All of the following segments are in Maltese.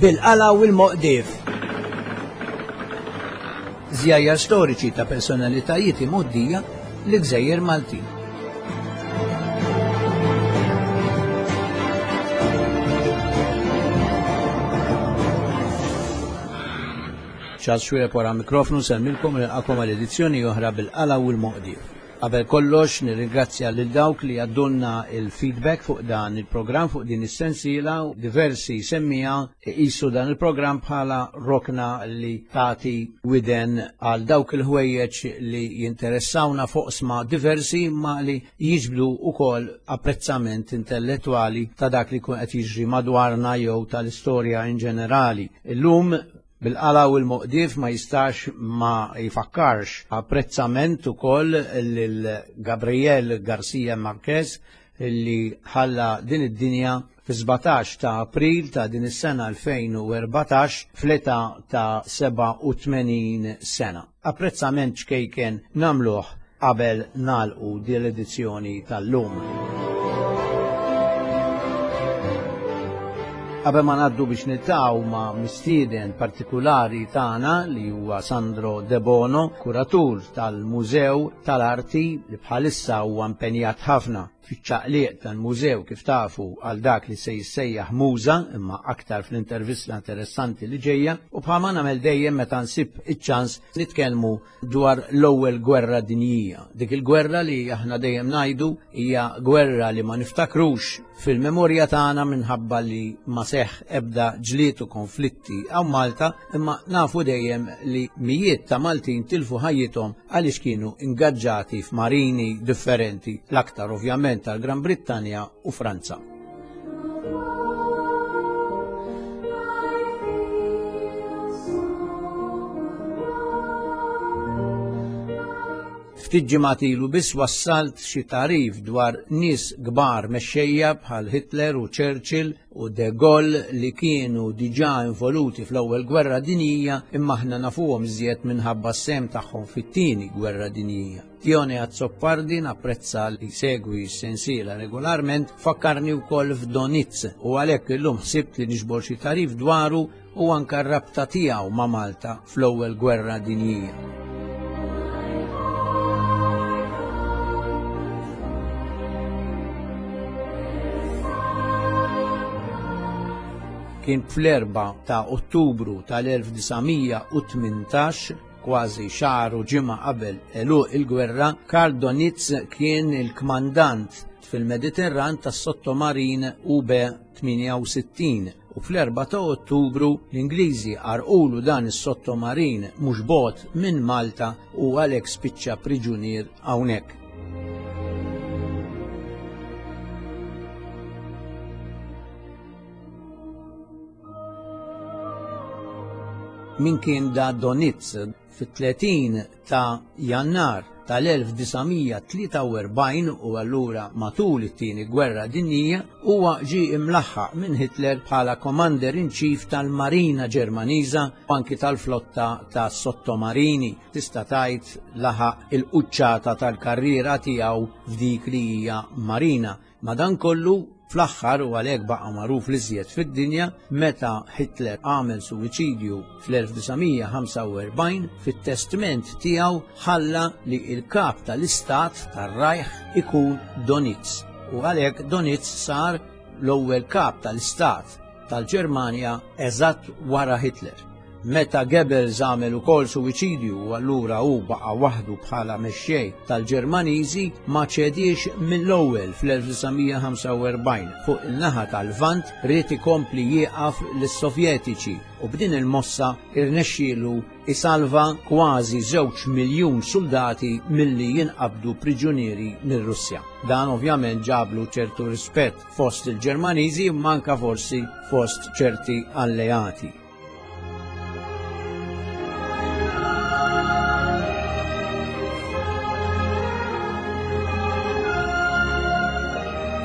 Bil-qala u l-moqdif. Żjajjar storiċi ta' personalitajiet imgħoddija li gżejjer Maltin. Charles Xuereb wara mikrofnu nsellmilkom u nilqakom għal edizzjoni oħra bil-qala u l-moqdif. Qabel kollox nirringrazzja lil dawk li għaddulna il-feedback fuq dan il-programm fuq din is-sensiela u diversi semmiegħa iqisu dan il-programm bħala rokna li tagħti widen għal dawk il-ħwejjeġ li jinteressawna f'oqsma diversi imma li jiġbdu wkoll apprezzament intellettwali ta' dak li jkun qed jiġri madwarna jew tal-istorja in ġenerali. Illum Bil-qala u l-moqdief ma jistax ma jfakkarx apprezzament ukoll lil Gabriel Garcia Marquez li ħalla din id-dinja fi-17 ta' April ta' din is-sena 2014 fl-età ta' 87 sena. Apprezzament ċkejken nagħmluh qabel nagħlqu din l-edizzjoni tal-lum. Qabel ma ngħaddu biex niltaqgħu ma' mistieden partikulari tagħna li huwa Sandro Debono, kuratur tal-Mużew tal-Arti li bħalissa huwa impenjat ħafna fiċ-ċaqliq tal-mużew kif tafu għal dak li se jissejjaħ Muża imma aktar fl-intervista interessanti li ġejja u bħalma nagħmel dejjem meta nsib iċ-ċans nitkellmu dwar l-ewwel gwerra dinjija. Dik il-gwerra li aħna dejjem ngħidu hija gwerra li ma niftakrux fil-memorja tagħna minħabba li ma seħħ ebda ġlied u konflitti hawn Malta, imma nafu dejjem li mijiet ta' Maltin tilfu ħajjithom għaliex kienu ingaġġati f'marini differenti, l-aktar ovvjament tal-Gran Brittanja u Franza. Ftit ġimgħat ilu biss wassalt xi tagħrif dwar nies kbar mexxejja bħal Hitler u Churchill u De Gaulle li kienu diġà involuti fl-Ewwel Gwerra Dinjija imma aħna nafuhom iżjed minħabba s-sehem tagħhom fit-Tieni Gwerra Dinjija. Tione Azzopardi napprezza li jsegwi s-sensiela regolarment, fakkarni wkoll f'Donitz u għalhekk illum ħsibt li niġbor xi tagħrif dwaru u anke r-rabta tiegħu ma' Malta fl-Ewwel Gwerra Dinjija. Kien fl-4 ta' Ottubru tal-1918 Kważi xahar u ġimgħa qabel għeluq il-gwerra, Karl Donitz kien il-kmandant fil-Mediterran tas-sottomarin UB-68 u fl-4 ta' Ottubru l-Ingliżi għarqulu dan is-sottomarin mhux bogħod minn Malta u għalhekk spiċċa priġunier hawnhekk. Min kien da Donitz fit-30 ta' Jannar tal-1943 u allura matul it-tieni gwerra dinjija huwa ġie imlaħħaq minn Hitler bħala Commander in Chief tal-Marina Ġermaniża u anki tal-flotta ta' sottomarini. Tista' tgħid laħaq il-quċċata tal-karriera tiegħu f'dik li hija marina. Madankollu, fl-aħħar u għalhekk baqa' magħruf l-iżjed fid-dinja, meta Hitler għamel suwiċidju fl-1945, fit-testment tiegħu ħalla li l-kap tal-istat tar-Reich ikun Donitz. U għalhekk Donitz sar l-ewwel kap tal-istat tal-Ġermanja eżatt wara Hitler. Meta Goebbels għamel ukoll suwiċidju u allura hu baqa' waħdu bħala mexxej tal-Ġermaniżi, ma ċediex mill-ewwel fl-1945 fuq in-naħa tal-Lvant ried ikompli jieqaf lis-Sovjetiċi u b'din il-mossa irnexxielu isalva kważi żewġ miljun suldati milli jinqabdu priġunieri mir-Russja. Dan ovvjament ġablu ċertu rispett fost il-Ġermaniżi imma anke forsi fost ċerti alleati.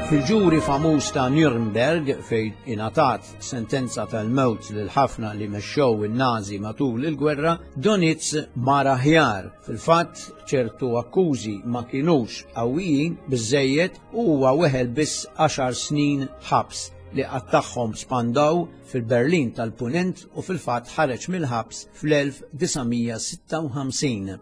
Fil-ġuri famuż ta' Nuremberg fejn ingħatat sentenza tal-mewt lil ħafna li mexxew in-Nazi matul il-gwerra, Donitz mar aħjar. Fil-fatt ċertu akkużi ma kinux qawwijin biżejjed u huwa weħel biss għaxar snin ħabs. li qattagħhom Spandau fil-Berlin tal-Punent u fil-fatt ħareġ mill-ħabs fl-1956.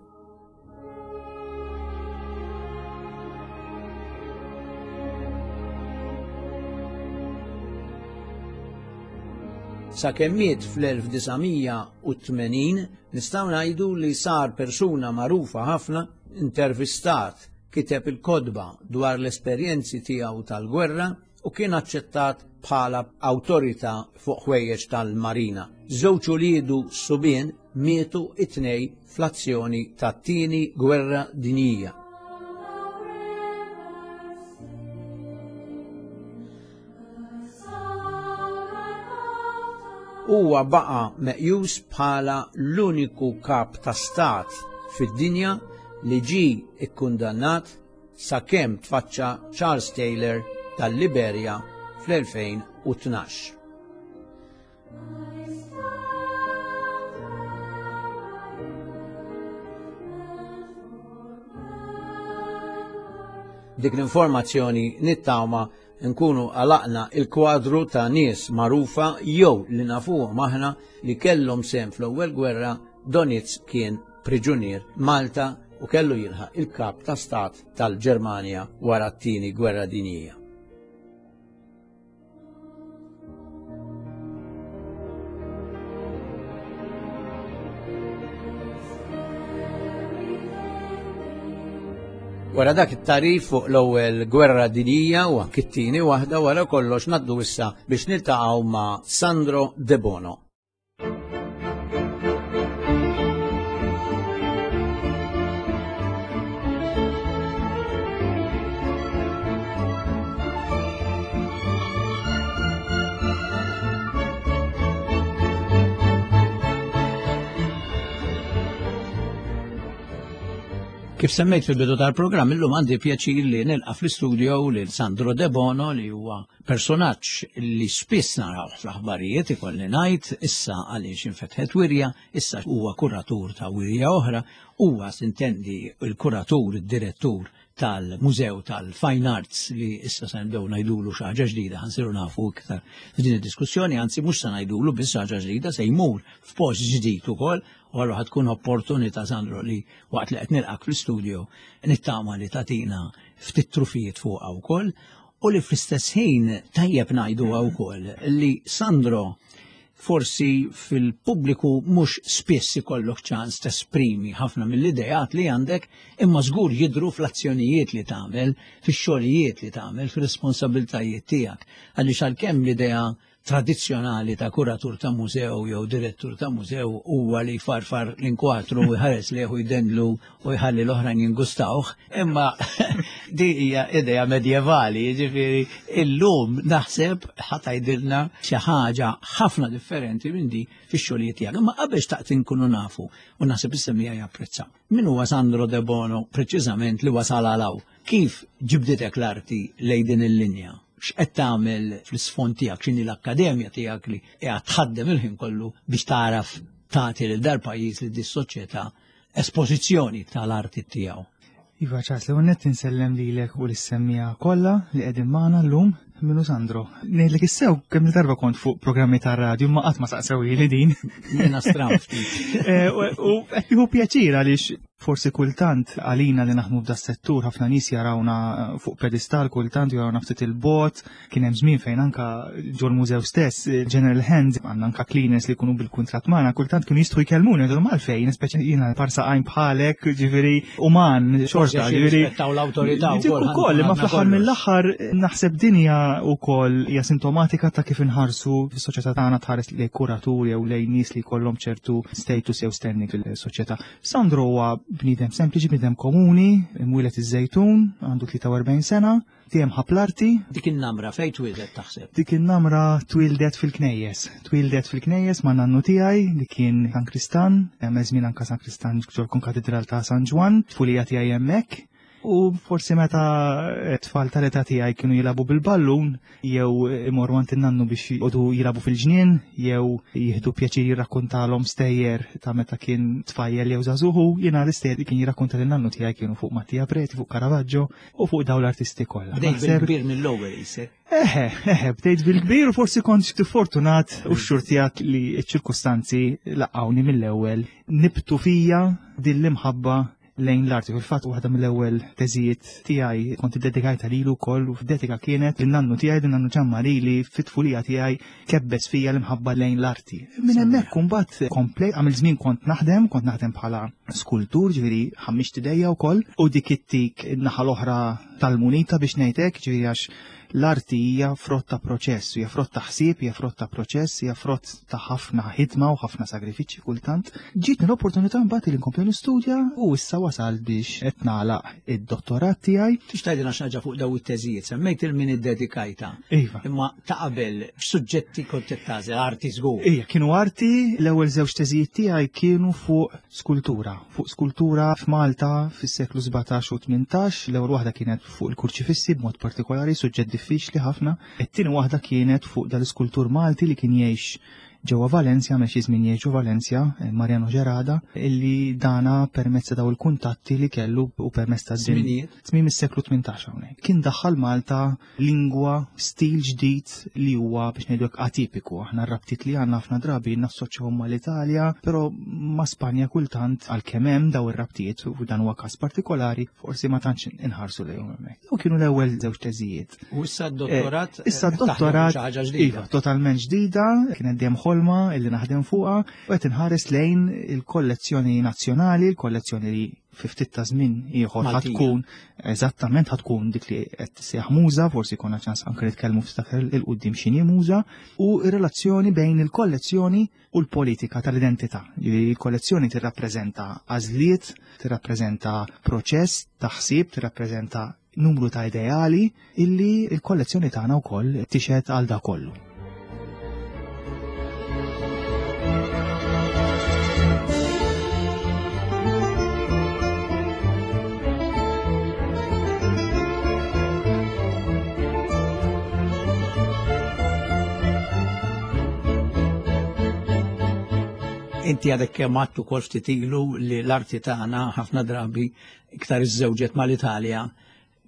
Sakemm miet fl-1980 nistgħu ngħidu li sar persuna magħrufa ħafna, intervistat, kiteb il-kotba dwar l-esperjenzi tiegħu tal-gwerra u kien aċċettat bħala awtorità fuq ħwejjeġ tal-marina. Żewġ uliedu subien mietu it-tnej fl-azzjoni tat-Tieni Gwerra Dinjija. Huwa baqa' meqjus bħala l-uniku kap ta' stat fid-dinja li ġie kkundannat sakemm tfaċċa Charles Taylor tal-Liberja fl-2012. Dik l-informazzjoni nittama nkunu għalaqna il-kwadru ta' nies magħrufa jew li nafuhom aħna li kellhom sehem fl-ewwel gwerra. Donitz kien priġunier Malta u kellu jilħaq il-kap ta' stat tal-Ġermanja wara t-tieni gwerra dinjija. Wara dak it-tarif fuq l-ewwel gwerra dinjija u anki t-tieni waħda wara kollox ngħaddu issa biex niltaqgħu ma' Sandro Debono. Kif semmejt fil-bidu tal-programm, illum għandi pjaċir li nilqa' fl-istudio lil Sandro Debono li huwa personaġġ li spiss naraw fl-aħbarijiet, ikolli ngħid, issa għaliex infetħet wirja, issa huwa kuratur ta' wirja oħra, huwa sintendi il-kuratur, id-direttur tal-Mużew tal-Fine Arts li issa se nibdew ngħidulu xi ħaġa ġdida, ħansiru nafu iktar f'din id-diskussjoni, anzi mhux se ngħidulu biss ħaġa ġdida, se jmur f'post ġdid ukoll, u allura ħad tkun opportunità Sandro li waqt li qed nilqak fl-istudio nittama li tagħtina ftit trufijiet fuqha wkoll u li fl-istess ħin tajjeb ngħiduha wkoll li Sandro forsi fil-pubbliku mhux spiss ikollok ċans tesprimi ħafna mill-idejat li għandek, imma żgur jidhru fl-azzjonijiet li tagħmel, fix-xogħlijiet li tagħmel, fir-responsabiltajiet tiegħek. Għaliex għalkemm l-idea tradizzjonali ta' kuratur ta' mużew jew direttur ta' mużew huwa li jfarfar l-inkwatru u jħares lejh u jdendlu u jħalli l-oħrajn jingustawh, imma di hija idea medjevali, jiġifieri illum naħseb ħa tgħidilna xi ħaġa ħafna differenti minn di fix-xogħlijiet tiegħek. Imma qabel xtaqt inkunu nafu u naħseb is-semmiegħa japprezzaw. Min huwa Sandro Debono preċiżament li wasal għal hawn? Kif ġibditek l-arti lejn din il-linja? X'qed tagħmel fl-isfond tiegħek, x'inhi l-akkademja tiegħek li qiegħed tħaddem il-ħin kollu biex tagħraf tagħti lil dal-pajjiż lil dis-soċjetà espożizzjoni tal-arti tiegħu? Iva Charles, l-ewwel nett insellem lilek u lis-semmiegħa kollha li qegħdin magħna llum minnu Sandro. Ngħidlek issew kemm il-darba kont fuq programmi tar-radju ma qatt ma saqsewili din. Jiena stram ftit. Eh, u qed nieħu pjaċir għaliex forsi kultant għalina li naħdmu f'da settur ħafna nies jarawna fuq pedestal kultant jarawna ftit il-bot, Kien hemm żmien fejn anka ġol-mużew stess, General Hand, għandna anka cleaners li jkunu bil-kuntratt magħna, kultant kienu jistgħu jkellmuni, jgħidu għalfejn, speċi jiena parsa għajn bħalek, ġifieri uman, xorta, ġifieri. l-awtorità wkoll. Ukoll, imma fl-aħħar mill-aħħar naħseb din hija wkoll hija sintomatika ta' kif inħarsu fis-soċjetà tagħna tħares lejn kuraturi jew lejn nies li jkollhom ċertu status jew standing fil-soċjetà. Sandro huwa bniedem sempliċi, bniedem komuni, imwieled iż-Żejtun, għandu 43 sena, Dejjem ħabb l-arti. Dik in-namra fejn twieldet taħseb? Dik in-namra twieldet fil-knejjes. Twieldet fil-knejjes ma' nannu tiegħi li kien San Kristan, hemm żmien anka San Kristan ġol-Konkatedral ta' San Ġwann, tfulija tiegħi hemmhekk. U forsi meta tfal tal-età tiegħi kienu jilagħbu bil-ballun jew imorru għand in-nannu biex jqogħdu jilagħbu fil-ġnien jew jieħdu pjaċir jirrakkuntalhom stejjer ta' meta kien tfajjel jew żagħżugħu, jiena l-istejjer li kien jirrakkunta lin-nannu tiegħi kienu fuq Mattia Preti, fuq Caravaggio u fuq dawn l-artisti kollha. Bdejt bil-kbir mill-ewwel isek. Eħe, eħe, bdejt bil-kbir u forsi kont xi fortunat u xxurtijat li ċ-ċirkustanzi laqgħuni mill-ewwel nibtu fija din l-imħabba lejn l-arti. Fil-fatt waħda mill-ewwel teżijiet tiegħi kont iddedikajta lilu wkoll u f'dedika kienet lin-nannu tiegħi, din nannu Ġammari li fit-tfulija tiegħi kebbes fija l-imħabba lejn l-arti. Minn hemmhekk imbagħad komplej għamil żmien kont naħdem, kont naħdem bħala skultur, ġifieri ħammiġt idejja wkoll u dik ittik in-naħa l-oħra tal-munita biex ngħid hekk, ġifieri għax L-arti hija frott ta' proċess, hija frott ta' ħsieb, hija frott ta' proċess, hija frott ta' ħafna ħidma u ħafna sagrifiċċji kultant. Ġietni l-opportunità mbagħad li nkompli nistudja u issa wasal biex qed nagħlaq id-dottorat tiegħi. Tix tgħidilna xi ħaġa fuq daw it-teżijiet, semmejt il min iddedikajta. Iva. Imma ta' qabel x'suġġetti kont qed tagħżel arti żgur. Ija, kienu arti, l-ewwel żewġ teżijiet tiegħi kienu fuq skultura, fuq skultura f'Malta fis-seklu 17 u 18, l-ewwel waħda kienet fuq il-kurċifissi b'mod partikolari, suġġett diffiċli ħafna. It-tieni waħda kienet fuq dal-iskultur Malti li kien jgħix ġewwa Valencia, għamel xi żmien jgħix ġo Valencia, eh, Mariano Gerada, illi dana permezz ta' daw il-kuntatti li kellu u permezz ta' żminijiet. Tmiem is-seklu 18 hawnhekk. Kien daħħal Malta lingwa, stil ġdid li huwa biex ngħidu hekk atipiku. Aħna r-rabtiet li għandna ħafna drabi nassoċjahom mal-Italja, però ma' Spanja kultant għalkemm hemm daw ir-rabtiet u dan huwa każ partikolari, forsi ma tantx inħarsu lejhom hemmhekk. U kienu l-ewwel żewġ teżijiet. U issa d-dottorat? Eh, issa d-dottorat iva, totalment ġdida, kienet dejjem ħolma illi naħdem fuqha u qed inħares lejn il-kollezzjoni nazzjonali, il-kollezzjoni li fi ftit ta' żmien ieħor ħatkun eżattament ħatkun dik li qed tissejjaħ muża, forsi jkollna ċans anke nitkellmu ftit il-qudiem x'inhi muża, u r-relazzjoni bejn il-kollezzjoni u l-politika tal-identità. Il-kollezzjoni tirrappreżenta għażliet, tirrappreżenta proċess ta' ħsieb, tirrappreżenta numru ta' ideali illi l-kollezzjoni tagħna wkoll tixhed għal da kollu. Inti għadek kemm għattu kol ftit ilu li l-arti tagħna ħafna drabi iktar iżżewġet mal-Italja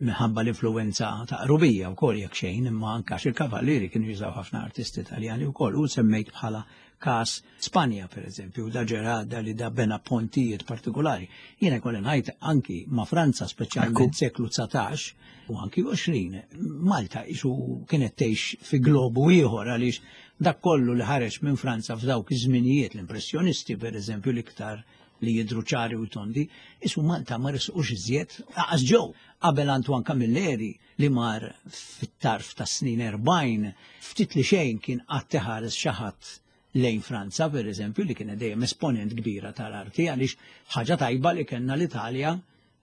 minħabba l-influenza ta' qrubija wkoll jekk xejn, imma anke għax il-kavallieri kienu jużaw ħafna artisti Taljani wkoll u semmejt bħala każ Spanja pereżempju, da ġerada li da bena pontijiet partikolari. Jiena jkolli ngħid anki ma' Franza speċjalment seklu 19 u anki 20, Malta isu kienet tgħix fi globu ieħor għaliex dak kollu li ħareġ minn Franza f'dawk iż-żminijiet l-impressjonisti pereżempju l-iktar li jidhru ċari u tondi, isu Malta ma resqux iżjed, aqas ġew qabel Antoine Camilleri li mar fit-tarf tas-snin 40, ftit li xejn kien qatt iħares xi ħadd lejn Franza, per eżempju, li kienet dejjem esponent kbira tal-arti, għaliex ħaġa tajba li kellna l-Italja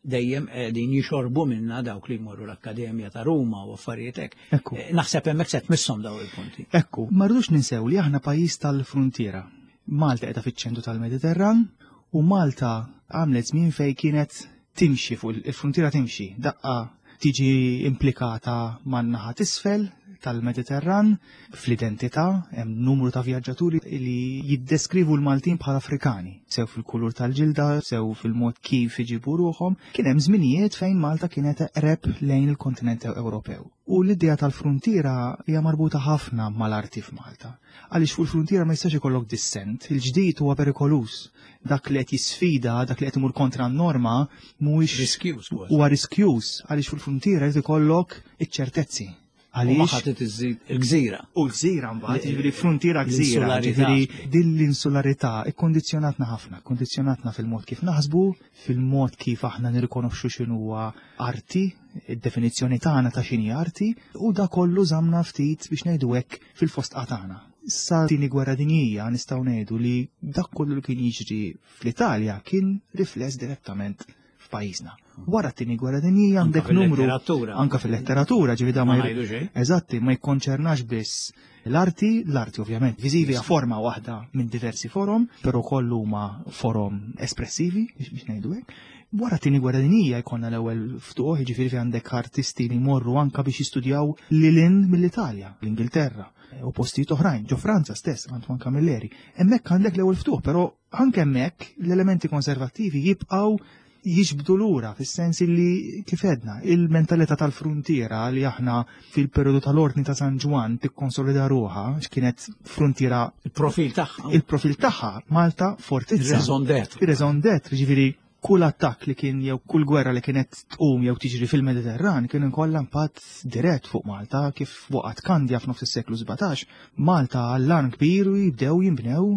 dejjem qegħdin jixorbu minna dawk li jmorru l-Akkademja ta' Ruma u affarijiet hekk. Eh, naħseb hemmhekk se tmisshom daw il-punti. Ekku, ma rridux ninsew li aħna pajjiż tal-fruntiera. Malta qiegħda fiċ-ċentru tal-Mediterran u Malta għamlet żmien fejn kienet timxi fuq il-fruntiera timxi daqqa tiġi implikata man-naħa t'isfel tal-Mediterran fl-identità hemm numru ta' vjaġġaturi li jiddeskrivu l-Maltin bħala Afrikani, sew fil-kulur tal-ġilda, sew fil-mod kif iġibu ruħhom. Kien hemm żminijiet fejn Malta kienet eqreb lejn il-kontinent Ewropew. U l-idea tal-fruntiera hija marbuta ħafna mal-arti f'Malta. Għaliex fuq il-fruntiera ma jistax ikollok dissent, il-ġdid huwa perikoluż. Dak li qed jisfida, dak li qed imur kontra n-norma, mhuwiex riskjuż. Huwa riskjuż għaliex fuq il-fruntiera jrid ikollok iċ-ċertezzi. Għaliex ħadd iżid il-gżira. U l-gżira mbagħad, jiġifieri fruntiera gżira, jiġifieri din l-insularità ikkondizzjonatna ħafna, ikkondizzjonatna fil-mod kif naħsbu, fil-mod kif aħna nirrikonoxxu x'inhuwa arti, id-definizzjoni tagħna ta' x'inhi arti, u da kollu żamna ftit biex ngħidu hekk fil-fosqa tagħna. Sa tieni gwerra dinjija nistgħu ngħidu li dak kollu li kien jiġri fl-Italja kien rifless direttament. f'pajjiżna. Wara t-tieni gwerra dinjija għandek numru anka fil-letteratura ġifi da ma Eżatti, ma jikkonċernax biss l-arti, l-arti ovvjament viżivi hija forma waħda minn diversi forom, però kollu huma forom espressivi biex ngħidu hekk. Wara t-tieni gwerra dinjija jkollna l-ewwel ftuħ, jiġifieri fi għandek artisti li jmorru anka biex jistudjaw lilin mill-Italja, l-Ingilterra u postijiet oħrajn, ġo Franza stess, Antoine Camilleri. Hemmhekk għandek l-ewwel ftuħ, però anke hemmhekk l-elementi konservattivi jibqgħu jiġbdu lura fis-sens li kif edna il-mentalità tal-fruntiera li aħna fil-periodu tal-Ordni ta' San Ġwann tikkonsolida ruħha x'kienet fruntiera il-profil tagħha. Il-profil tagħha Malta fortizza. Ir-raison d'être. Ir-raison d'être, ġifieri kull attakk li kien jew kull gwerra li kienet tqum jew tiġri fil-Mediterran kien inkollha impatt dirett fuq Malta kif waqgħet Kandja f'nofs is-seklu 17. Malta allarm kbir u jibdew jinbnew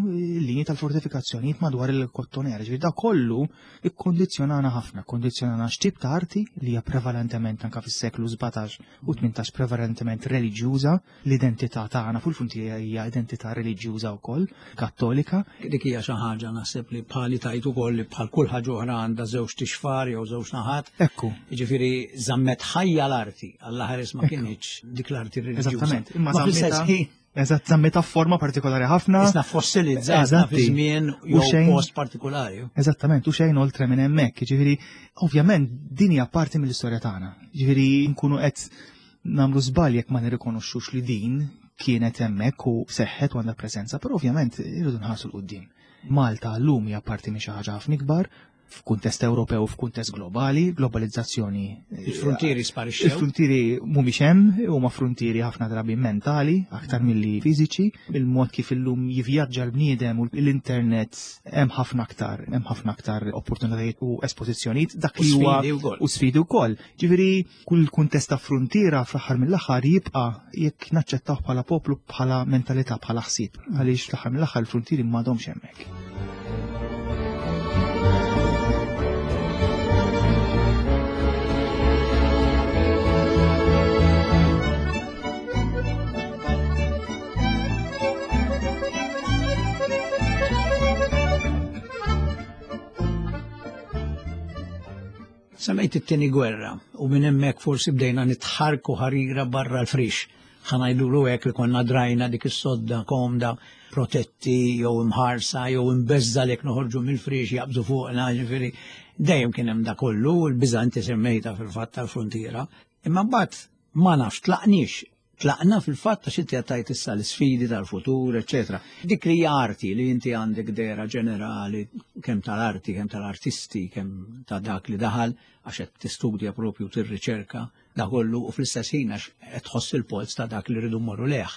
linji tal-fortifikazzjonijiet madwar il-Kottonera. Ġifieri da kollu ikkondizzjonana ħafna, kkondizzjonana x'tip ta' arti li hija prevalentement anka fis-seklu 17 u 18 prevalentement reliġjuża, l-identità tagħna fuq il-fruntiera hija identità reliġjuża wkoll, kattolika. Dik hija xi ħaġa naħseb li bħali tajt ukoll li bħal kull ħaġa oħra għandha żewġ tixfar jew żewġ naħat. Ekku. Jiġifieri żammet ħajja l-arti, Alla ħares ma kinitx dik l-arti reliġjuża. Eżattament, imma żammitha Eżatt, żammitha f'forma partikolari ħafna. Isna fossilizzata fi żmien jew post partikolari. Eżattament, u xejn oltre minn hemmhekk. Ġifieri, ovvjament din hija parti mill-istorja tagħna. Ġifieri nkunu qed nagħmlu żball jekk ma nirrikonoxxux li din kienet hemmhekk u seħħet u għandha preżenza, però ovvjament irridu nħarsu l-qudiem. Malta llum hija parti minn xi ħaġa ħafna ikbar, f'kuntest Ewropew u f'kuntest globali, globalizzazzjoni. Il-frontieri sparixxew. Il-frontieri mhumiex hemm, huma frontieri ħafna drabi mentali aktar milli fiżiċi. Il-mod kif illum jivvjaġġa l-bniedem u l-internet hemm ħafna aktar, hemm ħafna aktar opportunitajiet u espożizzjonijiet dak li huwa u sfidi wkoll. Ġifieri kull kuntest ta' fruntiera fl-aħħar mill-aħħar jibqa' jekk naċċettawh bħala poplu bħala mentalità bħala ħsieb għaliex fl-aħħar mill-aħħar il-fruntieri m'għadhomx hemmhekk. Semmejt it-tieni gwerra u minn hemmhekk forsi bdejna nitħarku ħarira barra l-frix. Ħanajdulu hekk li konna drajna dik is-sodda komda protetti jew imħarsa jew imbeżza lek noħorġu mill-frix jaqbżu fuqna, ġifieri dejjem kien hemm da kollu, il-biża' inti semmejta fil-fatt tal-fruntiera. Imma mbagħad ma nafx tlaqniex Tlaqna fil-fatt għax inti għattajt issa l-sfidi tal-futur, eċetera. Dik li hija arti li inti għandek dera ġenerali kemm tal-arti, kemm tal-artisti, kemm ta' dak li daħal għax qed tistudja propju tirriċerka da kollu u fl-istess ħin għax qed tħoss il-polz ta' dak li rridu mmorru leħ.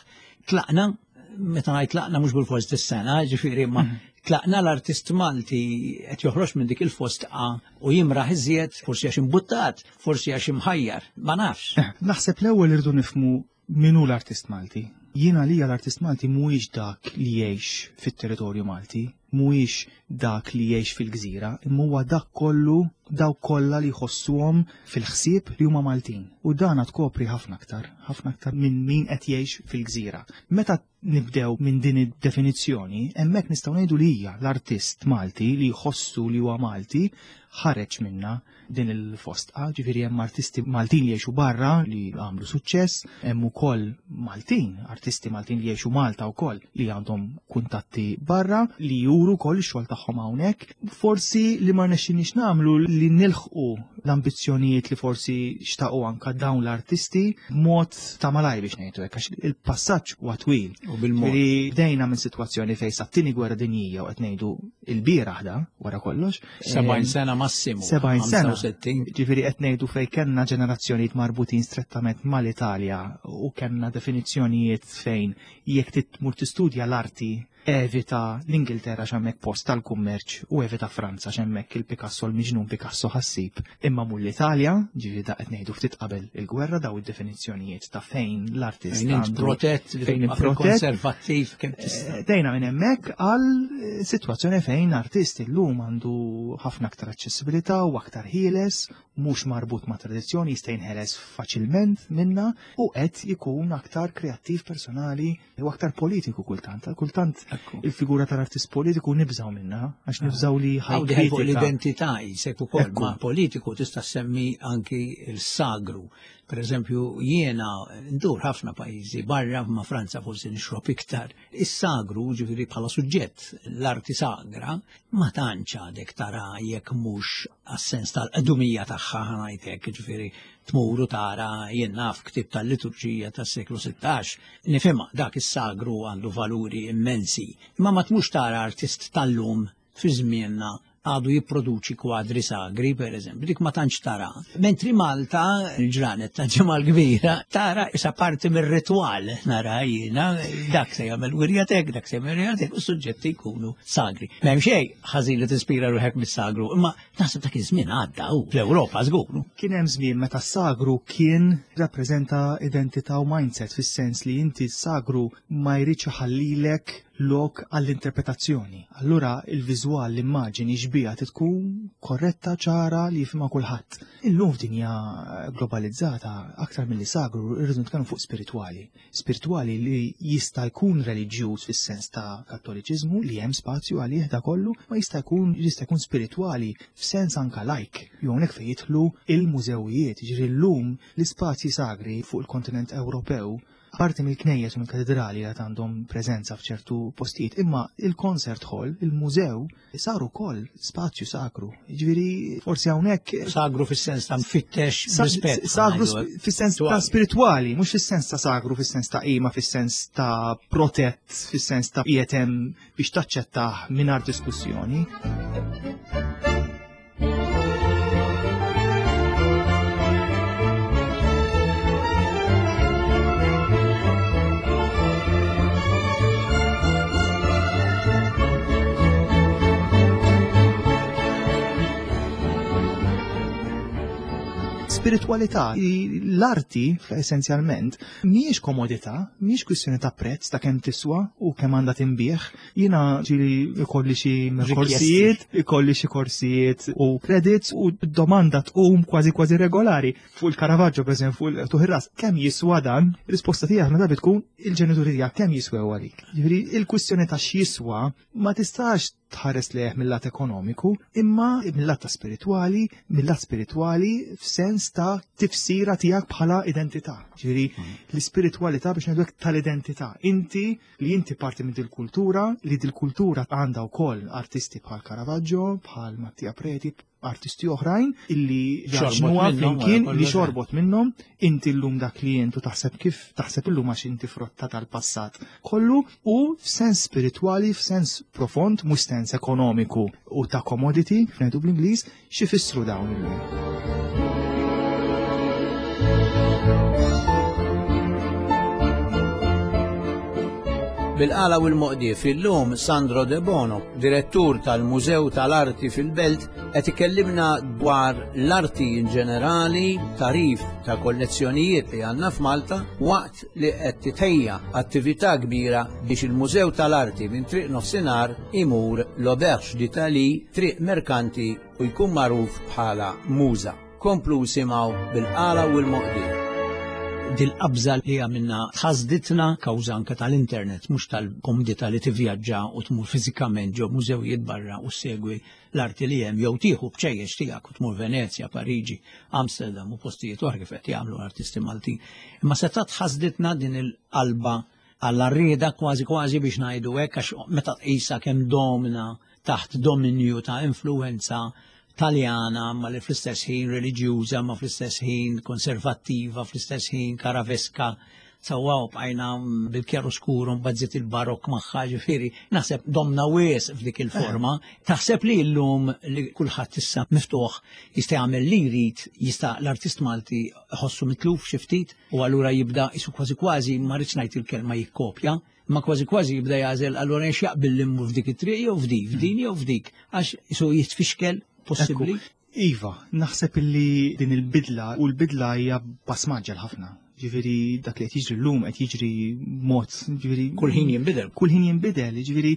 Tlaqna, meta ngħid tlaqna mhux bil-fors dis-sena, ġifieri ma mhm. tlaqna l-artist Malti qed joħroġ minn dik il-fostqa u jimraħ iżjed, forsi għax imbuttat, forsi għax imħajjar, ma nafx. Eh, naħseb l-ewwel irdu nifmu min hu l-artist Malti. Jiena li l-artist Malti mhuwiex dak li jgħix fit-territorju Malti, mhuwiex dak li jgħix fil-gżira, imma huwa dak kollu dawk kollha li jħossuhom fil-ħsieb li huma Maltin. U dan tkopri ħafna aktar, ħafna aktar minn min qed jgħix fil-gżira. Meta nibdew minn din id-definizzjoni, hemmhekk nistgħu ngħidu li hija l-artist Malti li jħossu li huwa Malti ħareġ minna din il-fostqa, ġifieri hemm artisti Maltin li jgħixu barra li għamlu suċċess, hemm ukoll Maltin, artisti Maltin li jgħixu Malta wkoll li għandhom kuntatti barra li juru wkoll ix-xogħol tagħhom hawnhekk. Forsi li ma rnexxinniex nagħmlu li nilħqu l-ambizzjonijiet li forsi xtaqu anka dawn l-artisti b'mod ta' malaj biex ngħidu hekk għax il-passaġġ huwa twil. U bil-mod. Bdejna minn sitwazzjoni fejn sat-tieni gwerra dinjija u qed ngħidu il-bieraħ da wara kollox. 70 sena massimu. 70 sena. Ġifieri qed ngħidu fejn kellna ġenerazzjonijiet marbutin strettament mal-Italja u kellna definizzjonijiet fejn jekk tmur tistudja l-arti evita l-Ingilterra x'hemmhekk post tal-kummerċ u evita Franza x'hemmhekk il-Picasso l-miġnun Picasso ħassib. Imma mur l-Italja, ġifieri da qed ngħidu ftit qabel il-gwerra daw id-definizzjonijiet ta' fejn l-artist fejn protett, fejn protett konservattiv kemm tista'. Eh, dejna minn hemmhekk għal eh, sitwazzjoni fejn artist illum għandu ħafna aktar aċċessibilità u aktar ħieles, mhux marbut ma' tradizzjoni jista' jinħeles faċilment minna u qed ikun aktar kreattiv personali u aktar politiku kultant. Kultant. Il-figura tal-artist politiku nibżaw minna, għax nibżaw li ħajkritika. Fuq l-identità jisek ukoll ma' politiku tista' semmi anki il-sagru. Per eżempju, jiena ndur ħafna pajjiżi barra ma' Franza forsi nixrob iktar. Is-sagru, ġifieri bħala suġġett, l-arti sagra, ma tantx għadek tara jekk mhux għas-sens tal-qdumija tagħha ħanajtek, ġifieri tmur u tara jien naf ktieb tal-liturġija tas-seklu 16. Nifhimha dak is-sagru għandu valuri immensi. Imma ma tmux tara artist tal-lum fi żmienna għadu jipproduċi kwadri sagri, per eżempju, dik ma tantx tara. Mentri Malta, il-ġranet ta' ġimgħa kbira, tara isa parti mir-ritwal, nara jiena, dak se jagħmel wirjatek, dak se jagħmel wirjatek, u suġġetti jkunu sagri. M'hemm xejn ħażin li tispira ruħek mis-sagru, imma naħseb dak iż-żmien għadda u fl-Ewropa żgur. Kien hemm żmien meta s-sagru kien rappreżenta identità u mindset fis-sens li inti s-sagru ma jridx iħallilek lok għall-interpretazzjoni. Allura il-viżwal, l-immaġini, xbija tkun korretta, ċara li jifhimha kulħadd. Illum f'dinja globalizzata aktar milli sagru irridu nitkellmu fuq spiritwali. Spiritwali li jista' jkun reliġjuż fis-sens ta' kattoliċiżmu li hemm spazju għalih da kollu, ma jista' jkun jista' jkun spiritwali f'sens anka lajk. Jew hawnhekk fejn jidħlu il-mużewijiet, jiġifieri llum l-ispazji sagri fuq il-kontinent Ewropew Parti mill-knejjes u mill-katedrali għad għandhom preżenza f'ċertu postijiet, imma il-concert hall, il-mużew, sar ukoll spazju sagru. Jiġifieri forsi hawnhekk Sagru fis-sens ta' mfittex rispett. Sagru fis-sens ta' spiritwali, mhux fis-sens ta' sagru, fis-sens ta' qima, fis-sens ta' protett, fis-sens ta' qiegħed hemm biex taċċettah mingħajr diskussjoni. Spiritualità, l-arti essenzjalment mhijiex komodità, mhijiex kwistjoni ta' prezz ta' kemm tiswa u kemm għandha tinbiegħ, Jiena ġili ikolli xi korsijiet, ikolli xi korsijiet u credits u domanda tqum kważi kważi regolari fuq il-Caravaggio pereżempju fuq il-tuħ kemm jiswa dan? Risposta tiegħek meta tkun il-ġenituri tiegħek kemm jiswew għalik. Jiġifieri il-kwistjoni ta' x'jiswa ma tistax tħares lejh mill-lat ekonomiku, imma mill-lat ta' spiritwali, mill-lat spiritwali f'sens ta' tifsira tiegħek bħala identità. Ġifieri mm. l-ispiritwalità biex ngħidu tal-identità. Inti li inti parti minn dil-kultura, li dil-kultura għandha wkoll artisti bħal Caravaggio, bħal Mattia Preti, artisti oħrajn illi jaġnuha flimkien li xorbot minnhom, inti llum dak li intu taħseb kif taħseb illum għax inti frotta tal-passat kollu u f'sens spiritwali, f'sens profond, mhux sens ekonomiku u ta' commodity, ngħidu bl-Ingliż, X'ifissru dawn illum? Bil-qala u l-moqdief illum Sandro De Bono, direttur tal-Mużew tal-Arti fil-Belt, qed ikellimna dwar l-arti in ġenerali, tarif ta' kollezzjonijiet li għandna f'Malta waqt li qed titħejja attività kbira biex il-Mużew tal-Arti minn Triq Nofsinhar imur l-Auberge d'Italie, Triq Merkanti u jkun magħruf bħala Muża. Komplu isimgħu bil-qala u l-moqdi. Dil-qabża li għamilna ħasditna kawża anke tal-internet, mhux tal-komdità li tivvjaġġa u tmur fiżikament ġo mużewijiet barra u ssegwi l-arti li hemm jew tieħu bċejjeċ tiegħek u tmur Venezja, Pariġi, Amsterdam u postijiet oħra kif qed jagħmlu artisti Maltin. Imma setgħet ħasditna din il-qalba għall-arrieda kważi kważi biex ngħidu hekk għax meta tqisha kemm domna taħt dominju ta' influenza Taljana ma li fl-istess ħin reliġjuża ma fl-istess ħin konservattiva fl-istess ħin karaveska sewwa u bqajna bil-kjaroskuru mbagħad żied il-barokk magħha ġifieri naħseb domna wies f'dik il-forma. Taħseb li llum li kulħadd issa miftuħ jista' jagħmel li jrid, jista' l-artist Malti ħossu mitluf xi ftit u allura jibda isu kważi kważi ma rridx ngħid il-kelma jikkopja, imma kważi kważi jibda jagħżel allura jekk jaqbil li mmur f'dik it-triq jew f'dik, f'din jew f'dik, għax isu jitfixkel possibbli. Iva, naħseb illi din il-bidla u l-bidla hija pass maġġel ħafna. Ġifieri dak li qed jiġri llum qed jiġri mod, ġifieri kull ħin jinbidel. Kull ħin jinbidel, ġifieri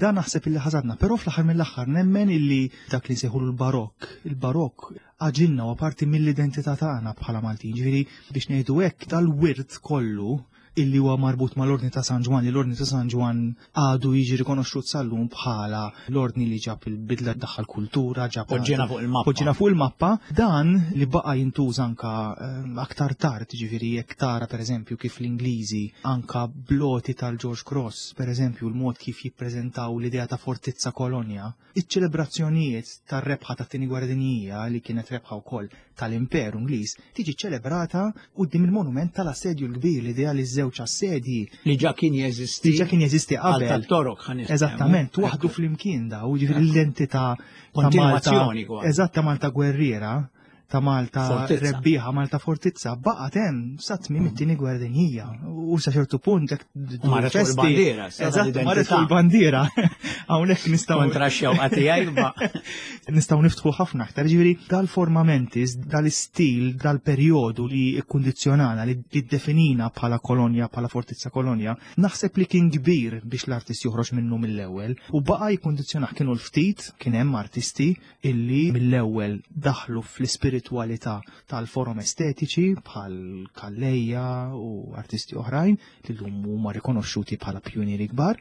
dan naħseb illi ħasadna, però fl-aħħar mill-aħħar nemmen illi dak li nsejħulu l-barokk, il-barokk għaġilna u parti mill-identità tagħna bħala Maltin. Ġifieri biex ngħidu hekk dal-wirt kollu. illi huwa marbut mal-Ordni ta' San Ġwann, li l-Ordni ta' San Ġwann għadu jiġi rikonoxxut sal-lum bħala l-ordni li ġab il-bidla daħħal kultura, ġab Poġġina fuq il-mappa. Poġġina fuq il-mappa, dan li baqa' jintuża anka aktar tard, ġifieri jekk tara pereżempju kif l-Ingliżi anka bloti tal-George Cross, pereżempju l-mod kif jippreżentaw l-idea ta' fortizza kolonja, Iċ-ċelebrazzjonijiet tar-rebħa tat-Tieni Gwerra Dinjija, li kienet rebħa wkoll tal-Imperu Ingliż, tiġi ċċelebrata quddiem il-monument tal-Assedju l-Kbir, l-idea li ż-żewġ assedji li ġa kien jeżisti li ġa kien jeżisti qabel. Tat-Torok ħa niftehmu. Eżattament, waħdu flimkien daw, jiġifieri l-identità ta' Malta. Eżatt ta' Malta gwerriera ta' Malta rebbieħa, Malta fortizza, baqgħet hemm sa tmiem it-tieni gwerra dinjija. U sa ċertu punt jekk marret fuq il-bandiera. Eżatt, marret fuq il-bandiera. Hawnhekk nistgħu kontra x-xewqa tiegħi ma nistgħu niftħu ħafna aktar. Ġifieri dal-formamentis, dal-istil, dal-perjodu li kkundizzjonana li ddefinina bħala kolonja, bħala fortizza kolonja, naħseb li kien kbir biex l-artist joħroġ minnu mill-ewwel u baqa' jikkundizzjonah kienu l-ftit kien hemm artisti illi mill-ewwel daħlu fl-ispiritwalità tal-forom estetiċi bħal Calleja u artisti oħrajn li llum huma rikonoxxuti bħala pjunieri kbar,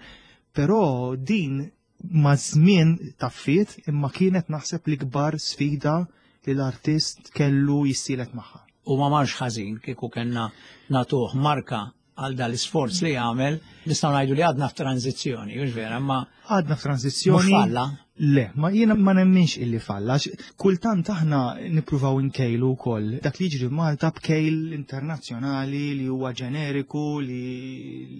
però din ma' żmien taffiet imma kienet naħseb l-ikbar sfida li l-artist kellu jissielet magħha. U ma marx ħażin kieku kellna nagħtuh marka għal dal-isforz li għamel, nistgħu ngħidu li għadna f'tranzizzjoni, hux vera, ma għadna f'tranzizzjoni. Falla. Le, ma jiena ma nemminx illi falla. Kultant aħna nippruvaw inkejlu wkoll dak li jiġri Malta b'kejl internazzjonali li huwa ġeneriku li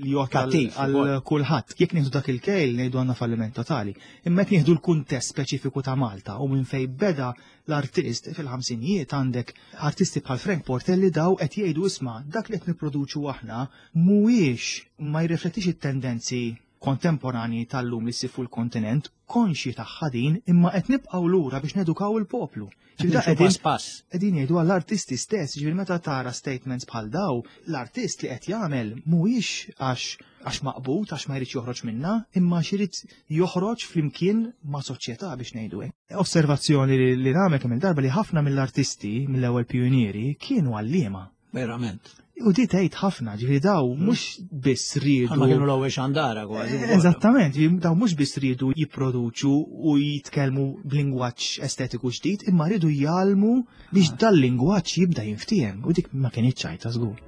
li għal kulħadd. Jekk nieħdu dak il-kejl ngħidu għandna falliment totali. Imma jekk nieħdu l-kuntest speċifiku ta' Malta u minn fejn beda l-artist fil-ħamsinijiet għandek artisti bħal Frank Portelli daw qed jgħidu isma' dak li qed nipproduċu aħna mhuwiex ma jirriflettix it-tendenzi kontemporanji tal-lum li ssib fuq il-kontinent, konxji tagħha din imma qed nibqgħu lura biex nedukaw il-poplu. Qegħdin jgħidu għall-artisti stess, ġifieri meta tara statements bħal daw, l-artist li qed jagħmel mhuwiex għax għax maqbud, għax ma jridx joħroġ minna, imma għax irid joħroġ flimkien ma' soċjetà biex ngħidu hekk. Osservazzjoni li nagħmel kemm il-darba li ħafna mill-artisti mill-ewwel pijunieri kienu għalliema. Verament. U di tgħid ħafna, ġifieri daw mhux biss riedu. Ma kienu l-ewwel xandara kważi. Eżattament, daw mhux biss riedu jipproduċu u jitkellmu b'lingwaġġ estetiku ġdid, imma riedu jgħallmu biex dal-lingwaġġ jibda jinftiehem u dik ma kinitx ċajta żgur.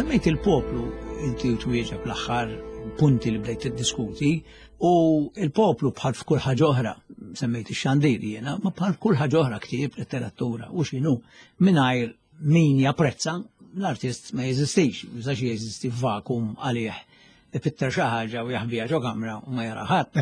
Semmejt il-poplu inti u twieġeb l-aħħar punti li bdejt tiddiskuti U il-poplu bħal f'kull ħaġa oħra, semmejt ix-xandir jiena, ma bħal f'kull ħaġa oħra ktieb, letteratura u x'inhu, mingħajr min japprezza l-artist ma jeżistix, jistax jeżisti f'vakum għalih ipitter xi ħaġa u jaħbiha ġo kamra u ma jara ħadd.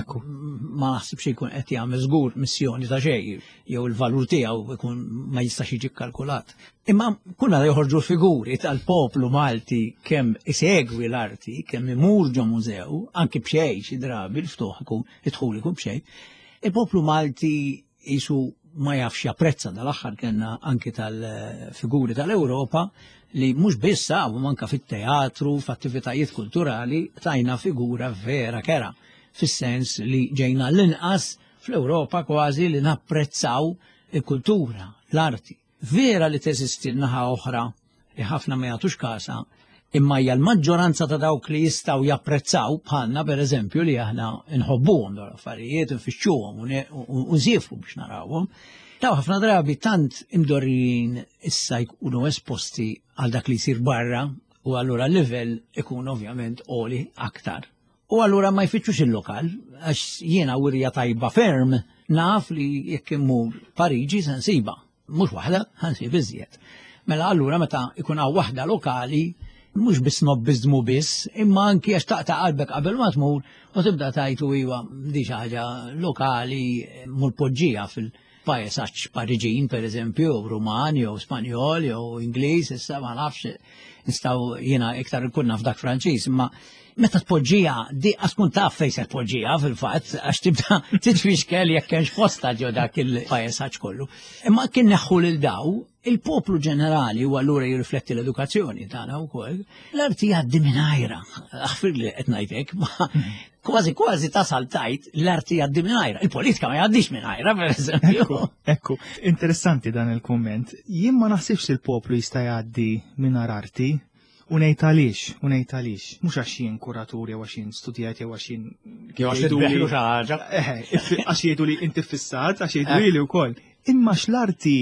Ma naħsibx jkun qed jagħmel żgur missjoni ta' xejn jew il-valur tiegħu jkun ma jistax jiġi kkalkulat. Imma kull meta joħorġu figuri tal-poplu Malti kemm isegwi l-arti, kemm imur ġo mużew, anki b'xejn xi drabi l-ftuħ ikun id-dħul ikun b'xejn, il-poplu Malti jisu ma jafx japprezza dal-aħħar kellna anki tal-figuri tal-Ewropa li mhux biss sabu manka fit-teatru, f'attivitajiet kulturali tajna figura vera kera fis-sens li ġejna l-inqas fl-Ewropa kważi li napprezzaw il-kultura, l-arti. Vera li teżisti naħa oħra li ħafna ma jagħtux kasha, imma hija l-maġġoranza ta' dawk li jistgħu japprezzaw bħalna pereżempju li aħna nħobbuhom dawn l-affarijiet, nfittxuhom u nsiefru biex narawhom. Daw ħafna drabi tant imdorrijin issa jkunu esposti għal dak li jsir barra u allura l-livell ikun ovvjament għoli aktar. U allura ma jfittxux il-lokal, għax jiena wirja tajba ferm naf li jekk immur Pariġi se nsiba, mhux waħda, ħansib iżjed. Mela allura meta ikun hawn waħda lokali, mhux biss nobbiżmu biss, imma anki għax taqta' qalbek qabel ma tmur u tibda tajtu iwa di xi ħaġa lokali mur poġġija fil- paesaġġ Pariġin, per eżempju, jew Ruman, jew Spanjol, jew Ingliż, issa ma nafx, nistgħu jiena iktar ikun naf dak Franċiż, imma Meta tpoġġija, di tkun taf fejn se tpoġġija fil-fatt, għax tibda titfixkel jekk hemmx posta ġo dak il-pajsaġġ kollu. Imma kien neħħu lil daw, il-poplu ġenerali u allura jirrifletti l-edukazzjoni tagħna wkoll, l-arti jgħaddi mingħajra. Aħfir li qed ngħidlek, ma kważi kważi tasal tajt l-arti jgħaddi mingħajra. Il-politika ma jgħaddix mingħajra, per eżempju. Ekku, interessanti dan il-kumment. Jien ma naħsibx li l-poplu jista' jgħaddi mingħajr arti. U ngħid għaliex, u ngħid għaliex. Mhux għax jien kuratur jew għax jien studjat jew għax jien. Jew għax jidbeħlu xi ħaġa. Għax jgħidu li inti fissat, għax jgħidu li wkoll. Imma x'l-arti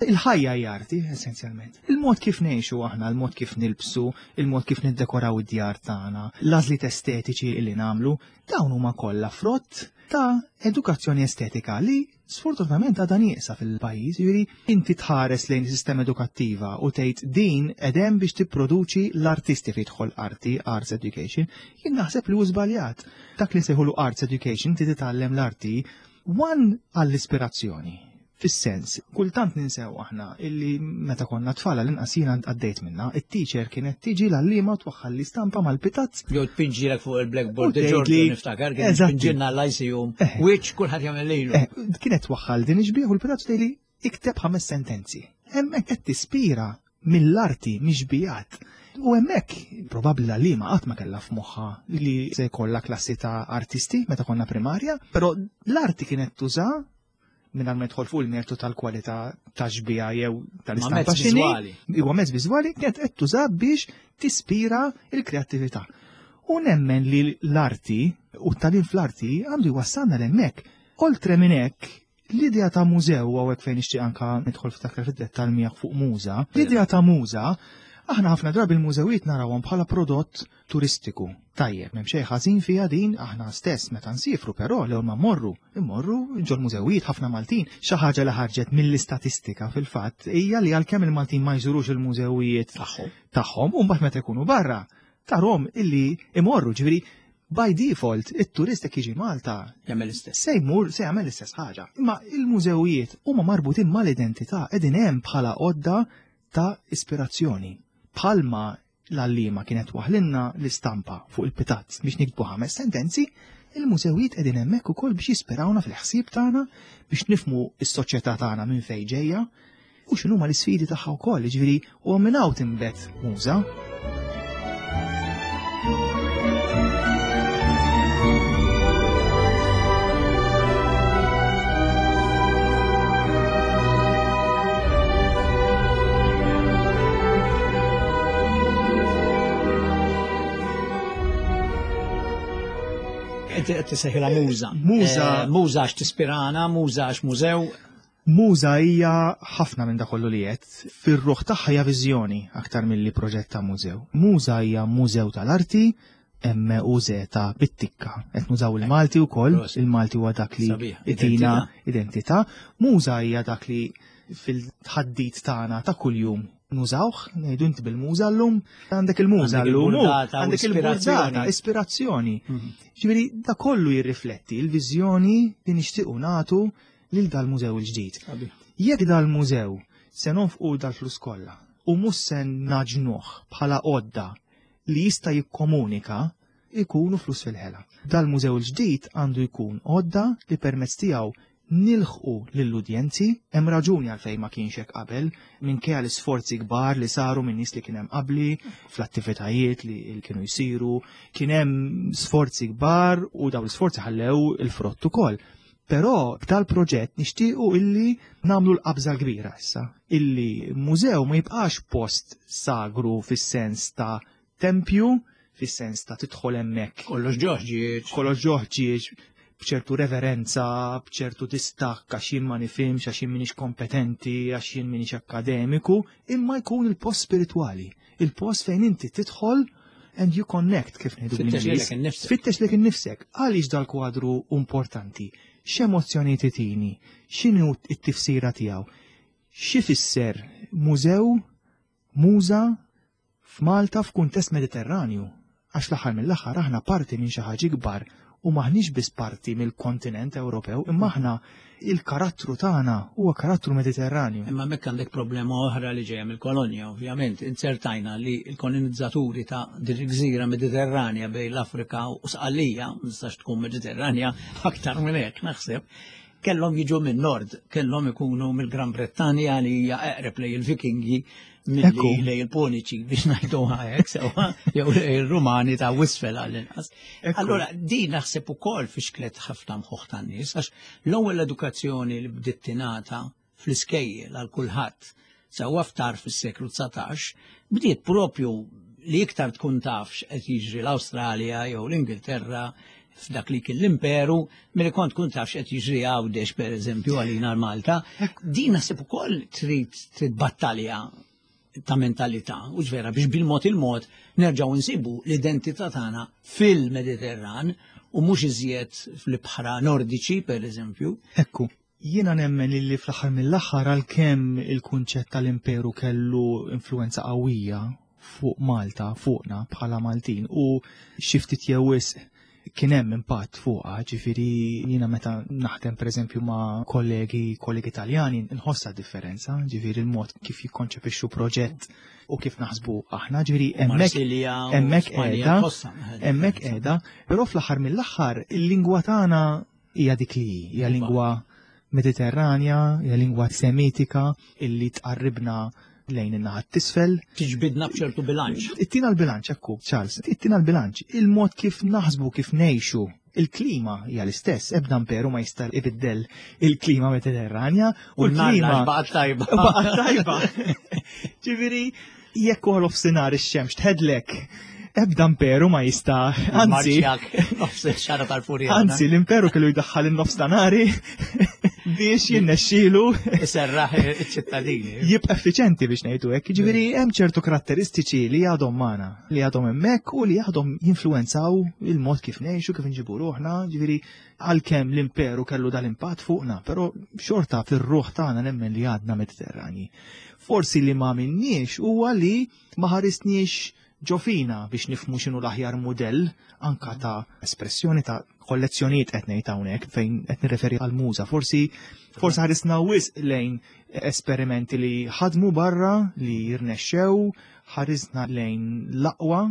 Il-ħajja hija arti, essenzjalment. Il-mod kif ngħixu aħna, il-mod kif nilbsu, il-mod kif niddekoraw id-djar tagħna, l-għażliet estetiċi li nagħmlu, dawn huma kollha frott ta' edukazzjoni estetika li sfortunatament għadha nieqsa fil-pajjiż, jiġifieri inti tħares lejn is-sistema edukattiva u tgħid din qegħdem biex tipproduċi l-artisti fejn jidħol arti, arts education, jien naħseb li hu żbaljat. Dak li nsejħulu arts education, inti titgħallem l-arti, one għall-ispirazzjoni. Fis-sens, kultant ninsew aħna illi meta konna tfal għall-inqas jiena għaddejt minna, it-teacher kienet tiġi l-għalliema u twaħħal l-istampa mal-pitazz. Jew tpinġilek fuq il-blackboard, Ġorġu niftakar, kien tpinġilna l-ICU, which kulħadd jagħmel lilu. Kienet twaħħal din ix-xbieħ u l-pitazz tgħidli ikteb ħames sentenzi. Hemmhekk qed tispira mill-arti, mix-xbijat. U hemmhekk probabbli l-għalliema qatt ma kellha f'moħħha li se jkollha klassi ta' artisti meta konna primarja, però l-arti kienet tuża mingħajr ma jidħol fuq il-mertu tal-kwalità ta' xbija jew tal-istampa x'inhi. Huwa mezz viżwali kienet qed tuża biex tispira l-kreattività. U nemmen li l-arti u t-tagħlim fl-arti għandu jwassalna l-hemmhekk. Oltre minn hekk, l-idea ta' mużew hawnhekk fejn nixtieq anka nidħol ftit aktar fid-dettall miegħek fuq muża, l-idea ta' muża aħna ħafna drabi l-mużewijiet narawhom bħala prodott turistiku. Tajjeb, m'hemm xejn ħażin fiha din, aħna stess meta nsifru però l-ewwel ma mmorru, immorru ġol-mużewijiet ħafna Maltin. Xi ħaġa li ħarġet mill-istatistika fil-fatt hija li għalkemm il-Maltin ma jżurux il-mużewijiet tagħhom u mbagħad meta jkunu barra, tarhom illi imorru, ġifieri by default it-turist jekk jiġi Malta jagħmel l-istess. Se jmur se jagħmel l-istess ħaġa. Imma il-mużewijiet huma marbutin mal-identità qegħdin hemm bħala għodda ta' ispirazzjoni. Bħalma L-għalliema kienet twaħħlilna l-istampa fuq il-pitazz biex niktbu ħames sentenzi, il-mużewijiet qegħdin hemmhekk ukoll biex jispirawna fil-ħsieb tagħna biex nifhmu s-soċjetà tagħna minn fejn ġejja u x'inhuma l-isfidi tagħha wkoll, jiġifieri u minn hawn tinbet muża. Inti qed tisejħilha muża. Muża. Eh, muża għax tispirana, muża għax mużew. Muża hija ħafna minn dak kollu li qed. Fir-ruħ tagħha hija viżjoni aktar milli proġett ta' mużew. Muża hija mużew tal-arti, M U Z bit-tikka. Qed nużaw il-Malti wkoll, il-Malti huwa dak li itina identità. Muża hija dak li fil-tħaddit tagħna ta' kuljum nużawh, ngħidu inti bil-muża llum, għandek il-muża llum, għandek il-burdata, ispirazzjoni. Mhm. Ġifieri da kollu jirrifletti l-viżjoni li nixtiequ nagħtu lil dal-mużew il-ġdid. Jekk dal-mużew se nonfqu dal-flus kollha u mhux se naġnuh bħala għodda li jista' jikkomunika jkunu flus fil-ħela. Dal-mużew il-ġdid għandu jkun għodda li permezz tiegħu nilħqu lill-udjenzi, hemm raġuni għalfejn ma kienx hekk qabel, minkejja l-isforzi kbar li saru minn nies li kien hemm qabli, fl-attivitajiet li kienu jsiru, kien hemm sforzi kbar u dawn l-isforzi ħallew il-frott ukoll. Però b'dal-proġett nixtiequ illi nagħmlu l-qabża l-kbira issa, illi mużew ma jibqax post sagru fis-sens ta' tempju, fis-sens ta' tidħol hemmhekk. Kollox ġoħ ġieġ. Kollox ġoħ ġieġ, b'ċertu reverenza, b'ċertu distakk għax jien ma nifhimx, għax jien m'iniex kompetenti, għax jien m'iniex akkademiku, imma jkun il-post spiritwali, il-post fejn inti tidħol and you connect kif ngħidu bl-Ingliż. Fittex lilek innifsek. Għaliex dal-kwadru importanti? X'emozzjonijiet itini? X'inhu t-tifsira tiegħu? X'ifisser mużew, muża f'Malta f'kuntest Mediterranju? Għax l-aħħar mill-aħħar aħna parti minn xi ħaġa ikbar. U maħniex biss parti mill-kontinent Ewropew, imma aħna il-karattru tagħna huwa karattru Mediterranju. Imma hemmhekk għandek problema oħra li ġejja mill-kolonja, ovvjament. Inzertajna li l-kolonizzaturi ta' din il-gżira Mediterranja bejn l-Afrika u Sqallija, ma tistax tkun Mediterranja aktar minn hekk naħseb, kellhom jiġu minn nord, kellhom ikunu mill-Gran Brittanja li hija eqreb lej il-Vikingi milli lej il-Puniċi biex ngħiduha hekk sewwa jew lej il-Rumani ta' wisfel għall-inqas. Allura din naħseb ukoll fixklet ħafna mħuħ tan-nies għax l-ewwel edukazzjoni li bdiet tingħata fl-iskejjel għal kulħadd sewwa ftar fis-seklu 19 bdiet propju li iktar tkun taf x'qed jiġri l-Awstralja jew l-Ingilterra f'dak li kien l-imperu, milli kont tkun taf x'qed jiġri Għawdex pereżempju għalina l-Malta. Din naħseb ukoll trid trid battalja ta' mentalità, u vera biex bil-mod il-mod nerġgħu nsibu l-identità tagħna fil-Mediterran u mhux iżjed fl-ibħra Nordiċi pereżempju. Ekku, jiena nemmen li fl-aħħar mill-aħħar għalkemm il-kunċett tal-imperu kellu influenza qawwija fuq Malta, fuqna bħala Maltin u xi ftit jew wisq kien hemm impatt fuqha, ġifieri jiena meta naħdem pereżempju ma' kollegi kollegi Taljani nħossha differenza, ġifieri l-mod kif jikkonċepixxu proġett u kif naħsbu aħna, ġifieri hemmhekk hemmhekk qiegħda hemmhekk qiegħda, però fl-aħħar mill-aħħar il-lingwa tagħna hija dik li hi, hija lingwa Mediterranja, hija lingwa Semitika illi tqarribna lejn in-naħa t'isfel. Tiġbidna b'ċertu bilanċ. Ittina l-bilanċ, ekku, Charles, ittina l-bilanċ. Il-mod kif naħsbu, kif ngħixu, il-klima hija l-istess, ebda imperu ma jista' ibiddel il-klima Mediterranja u l-klima baqgħet tajba. Baqgħet tajba. Ġifieri, jekk uħal offsinar ix-xemx tħedlek, ebda imperu ma jista' anzi. Nofs xara tal-furja. Anzi, l-imperu kellu jdaħħal in-nofs ta' nari biex jinnexxielu. Iserraħ iċ-ċittadini. Jibqa' effiċenti biex ngħidu hekk. Jiġifieri hemm ċertu karatteristiċi li għadhom magħna, li għadhom hemmhekk u li għadhom jinfluwenzaw il-mod kif ngħixu, kif inġibu ruħna, ġifieri għalkemm l-imperu kellu dal-impatt fuqna, però xorta fir-ruħ tagħna nemmen li għadna Mediterrani. Forsi li ma minniex huwa li ma ħarisniex ġo fina biex nifhmu x'inhu l-aħjar mudell anka ta' espressjoni ta' kollezzjonijiet qed ngħid hawnhekk fejn qed nirreferi għal muża. Forsi forsi ħarisna wisq lejn esperimenti li ħadmu barra li jirnexxew, ħarisna lejn l-aqwa,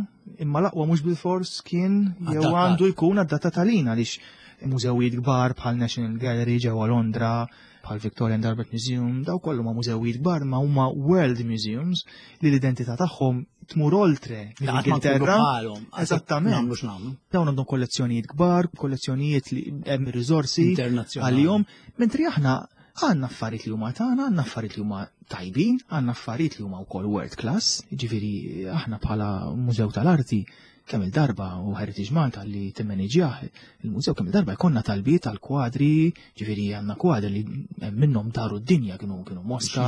imma l-aqwa mhux bilfors kien jew għandu jkun adatta talina għaliex mużewijiet kbar bħal National Gallery ġewwa Londra, bħal Victoria and Albert Museum, daw kollu ma mużewijiet kbar ma huma world museums li l-identità tagħhom tmur oltre mill-Ingilterra. Eżattament. Dawn għandhom kollezzjonijiet kbar, kollezzjonijiet li hemm riżorsi għalihom, mentri aħna għandna affarijiet li huma tagħna, għandna affarijiet li huma tajbin, għandna affarijiet li huma wkoll world class, jiġifieri aħna bħala Mużew tal-Arti kemm il-darba u Heritage Malta li timmaniġjah il-mużew kemm il-darba jkollna talbiet għal kwadri, ġifieri għandna kwadri li minnhom daru d-dinja kienu kienu Moska,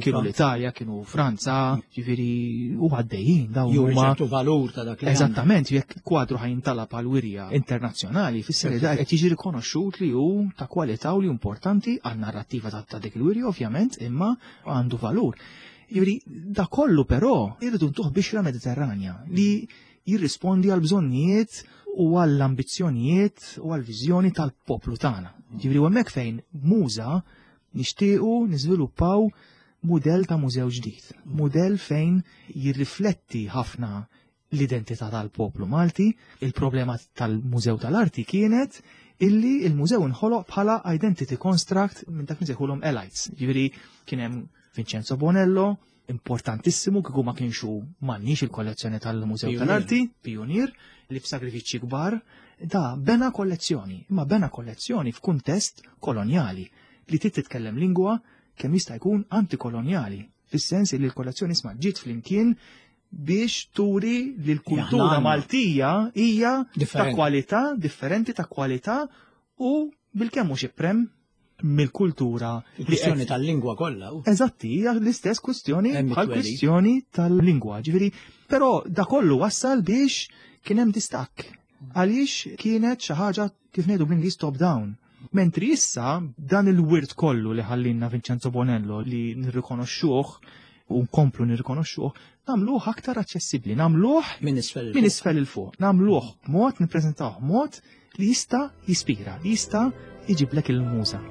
kienu l-Italja, kienu Franza, ġifieri u għaddejjin dawn huma valur ta' dak li Eżattament, jekk kwadru ħajintalab għal wirja internazzjonali, fisser li qed jiġi rikonoxxut li hu ta' kwalità u li importanti għan-narrattiva ta' dik il-wirja ovvjament, imma għandu valur. Jiġifieri da kollu però irridu ntuh bixra Mediterranja li jirrispondi għal bżonnijiet u għall ambizzjonijiet u għall viżjoni tal-poplu tagħna. Jiġifieri u hemmhekk fejn muża nixtiequ niżviluppaw mudell ta' mużew ġdid, mudell fejn jirrifletti ħafna l-identità tal-poplu Malti. Il-problema tal-Mużew tal-Arti kienet illi il-mużew inħoloq bħala identity construct minn dak nsejħulhom elites. Ġifieri kien hemm Vincenzo Bonello, importantissimu kieku ma kienx hu m'għandniex il-kollezzjoni tal-Mużew tal-Arti, pionier, li f'sagrifiċċji kbar, da bena kollezzjoni, imma bena kollezzjoni f'kuntest kolonjali li trid titkellem lingwa kemm jista' jkun antikolonjali, fis-sens li l-kollezzjoni isma' ġiet flimkien biex turi li l-kultura Maltija hija ta' kwalità, differenti ta' kwalità u bilkemm mhux iprem mill-kultura. Il-kwistjoni tal-lingwa kollha. Eżatti, hija l-istess kwistjoni bħal kwistjoni tal-lingwa. Ġifieri, però da kollu wassal biex kien hemm distakk. Għaliex kienet xi ħaġa kif ngħidu bl-Ingliż top down. Mentri issa dan il-wirt kollu li ħallinna Vincenzo Bonello li nirrikonoxxuh. u nkomplu nirrikonoxxuh, nagħmluh aktar aċċessibbli, nagħmluh minn isfel minn isfel il fuq, nagħmluh mod nippreżentawh mod li jista' jispira, li jista' jġiblek il-muża.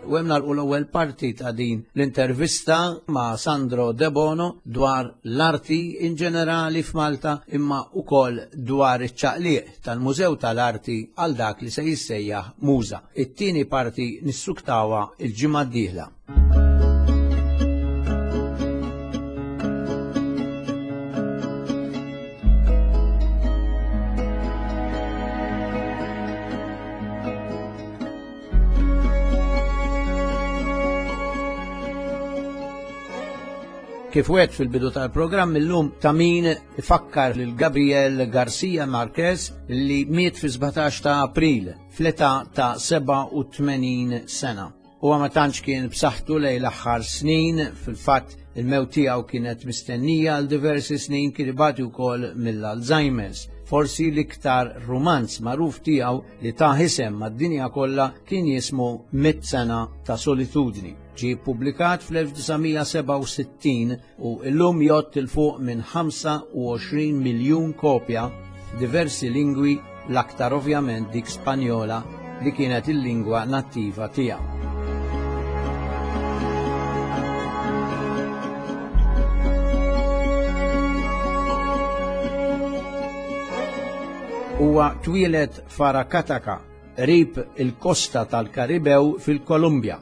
U hemm nagħlqu l-ewwel parti ta' din l-intervista ma' Sandro Debono dwar l-arti in ġenerali f'Malta imma wkoll dwar iċ-ċaqliq tal-Mużew tal-Arti għal dak li se jissejjaħ Muża. It-tieni parti nissuktawha l-ġimgħa d-dieħla. Kif wet fil-bidu tal-programm illum ta' min ifakkar lil Gabriel Garcia Marquez li miet fi 17 ta' April fl-età ta' 87 sena. Huwa ma tantx kien b'saħħtu lejn l-aħħar snin, fil-fatt il-mewt tiegħu kienet mistennija għal diversi snin kien ibati wkoll mill-Alzheimer's. Forsi l-iktar rumanz magħruf tiegħu li ta isem mad-dinja kollha kien jismu Mitt Sena ta' Solitudni. Ġie ppubblikat fl-1967 u llum jgħodd 'il fuq minn 25 miljun kopja f'diversi lingwi l-aktar ovvjament dik Spanjola li kienet il-lingwa nattiva tiegħu. Huwa twieled f'Aracataca, qrib il-kosta tal-Karibew fil-Kolumbja.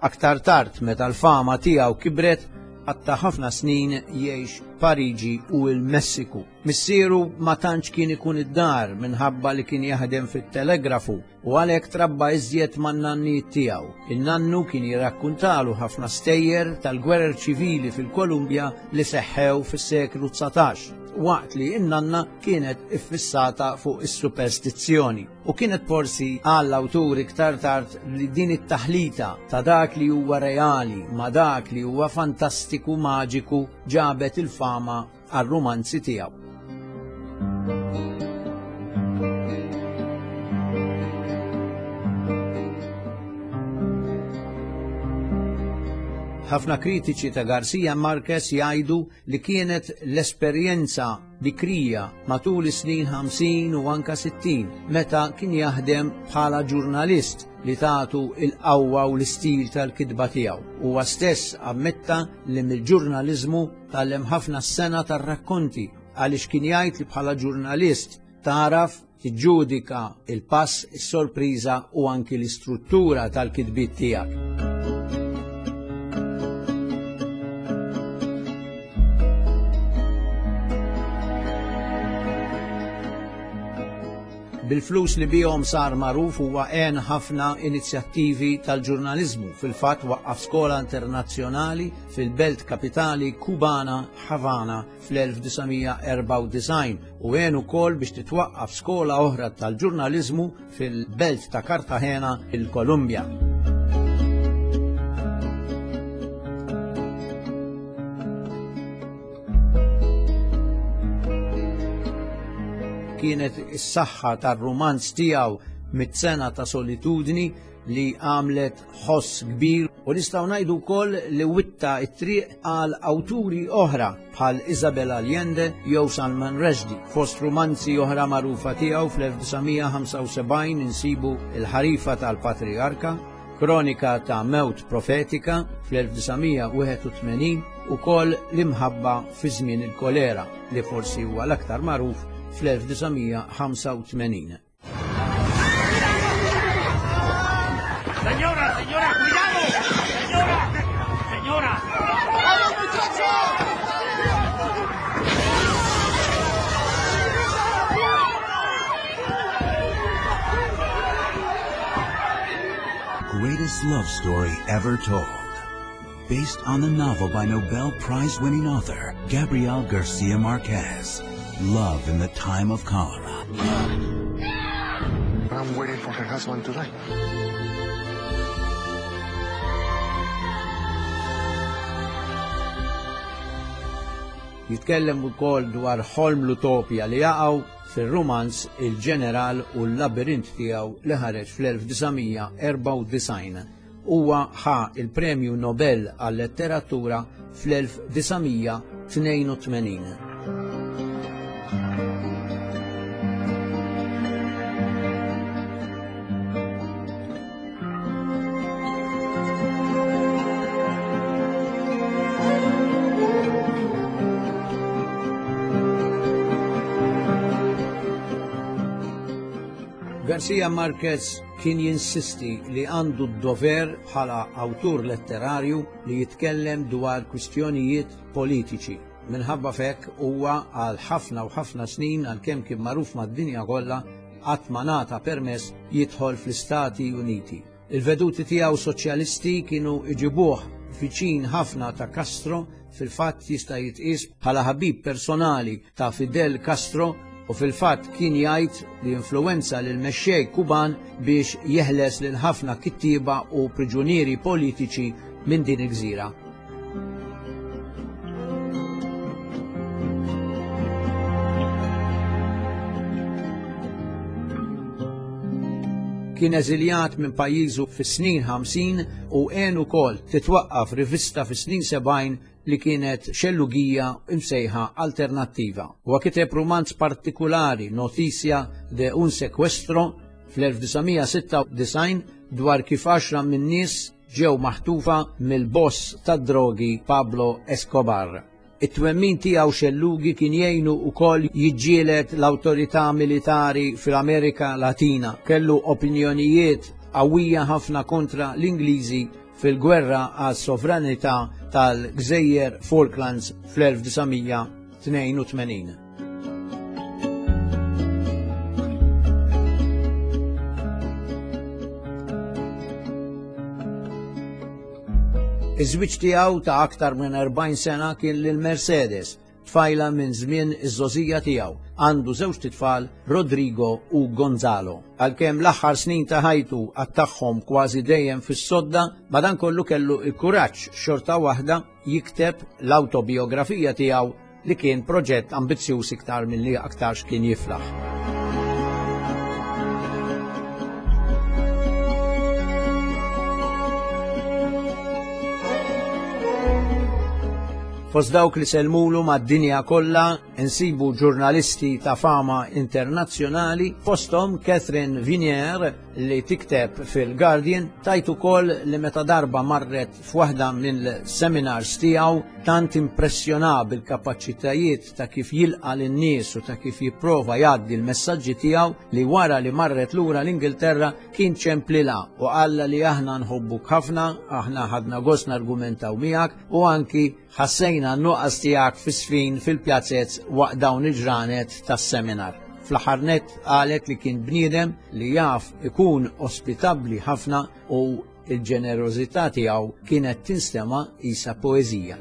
Aktar tard, meta l-fama tiegħu kibret, qatta' ħafna snin jgħix Pariġi u l-Messiku. Missieru ma tantx kien ikun id-dar minħabba li kien jaħdem fit-telegrafu u għalhekk trabba iżjed man-nannijiet tiegħu. In-nannu kien jirrakkuntalu ħafna stejjer tal-gwerer ċivili fil-Kolumbja li seħħew fis-seklu 19, waqt li n-nanna kienet iffissata fuq is-superstizzjoni. U kienet forsi qal l-awtur iktar tard li din it-taħlita ta' dak li huwa reali ma' dak li huwa fantastiku maġiku ġabet il-fama għar-rumanzi tiegħu. Ħafna kritiċi ta' Garcia Marquez jgħidu li kienet l-esperjenza bikrija matul is-snin 50 u anka 60 meta kien jaħdem bħala ġurnalist li tagħtu il-qawwa u l-istil tal-kitba tiegħu. Huwa stess ammetta li mill-ġurnaliżmu tgħallem ħafna s-sena tar-rakkonti għaliex kien jgħid li bħala ġurnalist tagħraf tiġġudika il-pass, is-sorpriża u anki l-istruttura tal-kitbiet tiegħek. Bil-flus li bihom sar magħruf huwa għen ħafna inizjattivi tal-ġurnaliżmu. Fil-fatt waqqaf skola internazzjonali fil-belt kapitali Kubana Havana fl-1994 u għen ukoll biex titwaqqaf skola oħra tal-ġurnaliżmu fil-belt ta' Cartagena il-Kolumbja. Kienet is-saħħa tar-rumanz tiegħu mit-sena ta' solitudni li għamlet ħoss kbir u nistgħu ngħidu wkoll li witta t-triq għal awturi oħra bħal Isabel Allende jew Salman Rushdie. Fost rumanzi oħra magħrufa tiegħu fl-1975 insibu Il-Ħarifa tal-Patrijarka, Kronika ta' Mewt Profetika fl-1981 ukoll L-Imħabba fi żmien il-Kolera li forsi huwa l-aktar magħruf fl-1985. Señora, señora, cuidado! Señora, señora! ¡Vamos, muchacho! Greatest love story ever told. Based on the novel by Nobel Prize winning author Gabriel Garcia Marquez. Love in the Time of Cholera. I'm waiting for her husband to die. Jitkellem ukoll dwar ħolm l-utopja li jaqgħu fir-rumanz Il-Ġeneral u l-Labirint tiegħu li ħareġ fl-1994. Huwa ħa il-Premju Nobel għal-Letteratura fl-1982. Garcia Marquez kien jinsisti li għandu d-dover bħala awtur letterarju li jitkellem dwar kwistjonijiet politiċi. Minħabba f'hekk huwa għal ħafna u ħafna snin għalkemm kien magħruf mad-dinja kollha qatt ma ngħata permess jidħol fl-Istati Uniti. Il-veduti tiegħu soċjalisti kienu iġibuh viċin ħafna ta' Castro, fil-fatt jista' jitqies bħala ħabib personali ta' Fidel Castro u fil-fatt kien jgħid li influwenza lil mexxej Kuban biex jeħles lil ħafna kittieba u priġunieri politiċi minn din il-gżira. Kien eżiljat minn pajjiżu fis-snin 50 u għen ukoll titwaqqaf rivista fis-snin 70 li kienet xellugija imsejħa Alternattiva. Huwa kiteb rumanz partikulari Noticia de un sequestro fl-1996 dwar kif għaxra min-nies ġew maħtufa mill-boss tad-drogi Pablo Escobar. It-twemmin tiegħu xellugi kien jgħinu wkoll jiġġieled l-awtorità militari fl-Amerika Latina. Kellu opinjonijiet qawwija ħafna kontra l-Ingliżi fil-gwerra għas-sovranità tal-Gżejjer Falklands fl-1982. Iż-żwieġ tiegħu ta' aktar minn 40 sena kien lil Mercedes, tfajla minn żmien iż-żgħożija tiegħu. Għandu żewġt itfal, Rodrigo u Gonzalo. Għalkemm l-aħħar snin ta' ħajtu qattagħhom kważi dejjem fis-sodda, madankollu kellu l-kuraġġ xorta waħda jikteb l-awtobijografija tiegħu li kien proġett ambizzjuż iktar milli aktarx kien jiflaħ. Fost dawk li selmulu mad-dinja kollha insibu ġurnalisti ta' fama internazzjonali, fosthom Catherine Vinier li tikteb fil-Guardian, tajt ukoll li meta darba marret f'waħda mill-seminars tiegħu tant impressjona bil-kapaċitajiet ta' kif jilqa' lin-nies u ta' kif jipprova jgħaddi l-messaġġi tiegħu li wara li marret lura l-Ingilterra kien ċemplilha u qallha li aħna nħobbuk ħafna, aħna ħadna gost nargumentaw miegħek u anki ħassejna n-nuqqas tiegħek fis-sfin fil-pjazez waqt dawn il-ġranet tas-seminar. Fl-aħħar nett qalet li kien bniedem li jaf ikun ospitabbli ħafna u l-ġenerożità tiegħu kienet tinstema' qisha poeżija.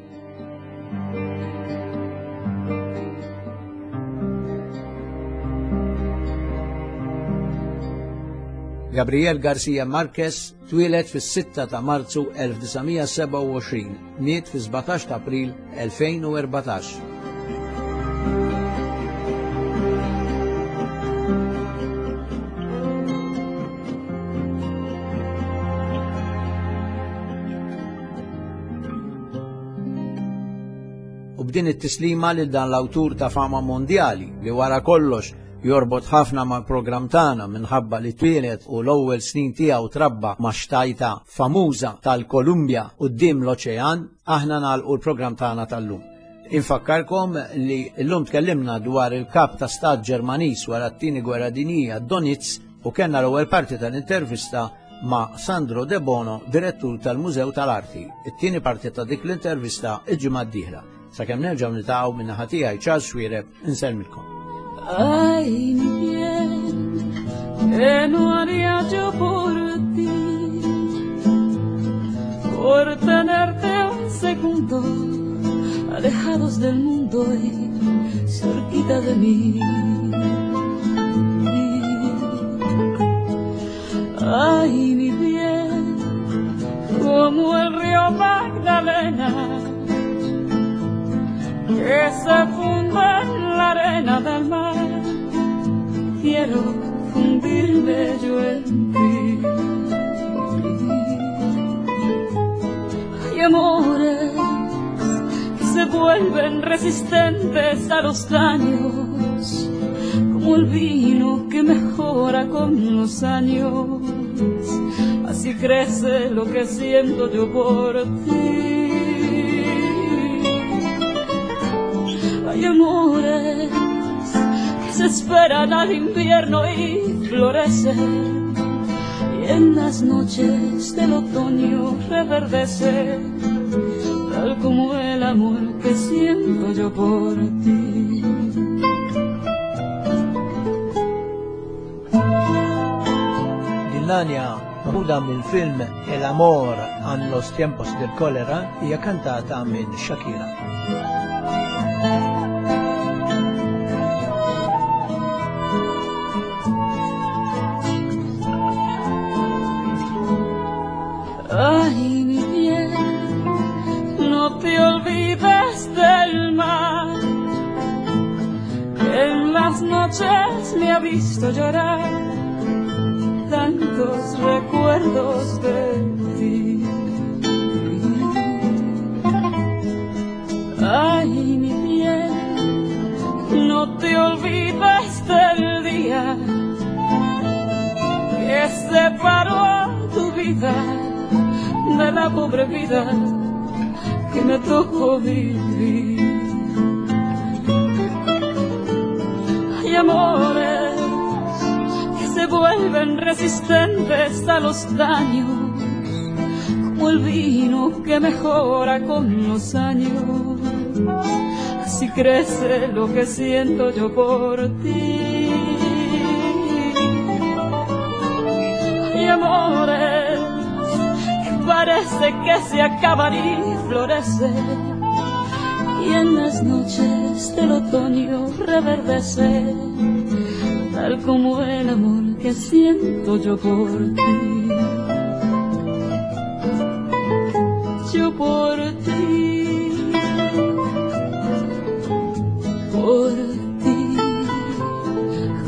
Gabriel Garcia Marquez twieled fis-6 ta' Marzu 1927, miet fis-17 ta' April 2014. U b'din it-tislima lil dan l-awtur ta' fama mondjali li wara kollox jorbot ħafna mal-programm tagħna minħabba li twieled u l-ewwel snin tiegħu trabba ma' xtajta famuża tal-Kolumbja quddiem l-oċean, aħna nagħlqu l-programm tagħna tal-lum. Infakkarkom li llum tkellimna dwar il-kap ta' stat Ġermaniż wara t-tieni gwerra dinjija Donitz u kellna l-ewwel parti tal-intervista ma' Sandro De Bono, direttur tal-Mużew tal-Arti. It-tieni parti ta' dik l-intervista il-ġimgħa d-dieħla. Sakemm nerġgħu niltaqgħu minn naħa tiegħi Charles Xuereb insellmilkom. Ay, mi bien, que no haría yo por ti, por tenerte un segundo alejado. lados del mundo y cerquita de mí. Ay, mi bien, como el río Magdalena, que se funde en la arena del mar, quiero fundirme yo en ti. Hay amores que se vuelven resistentes a los daños, como el vino que mejora con los años, así crece lo que siento yo por ti. Hay amores que se esperan al invierno y florecen, y en las noches del otoño reverdece, tal como el amor que siento yo por ti. Din l-għanja maħuda mill-film El Amor en los tiempos del cólera hija kantata minn Shakira. Ay, mi bien, no te olvides del mar, que en las noches me ha visto llorar tantos recuerdos de ti. Ay, mi bien, no te olvides del día que separó tu vida de la pobre vida que me tocó vivir. Hay amores que se vuelven resistentes a los daños, como el vino que mejora con los años, así crece lo que siento yo por ti. Hay amores que parece que se acaban y florecen, y en las noches del otoño reverdece, tal como el amor que siento yo por ti. Yo por ti, por ti,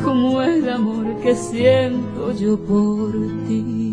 como el amor que siento yo por ti.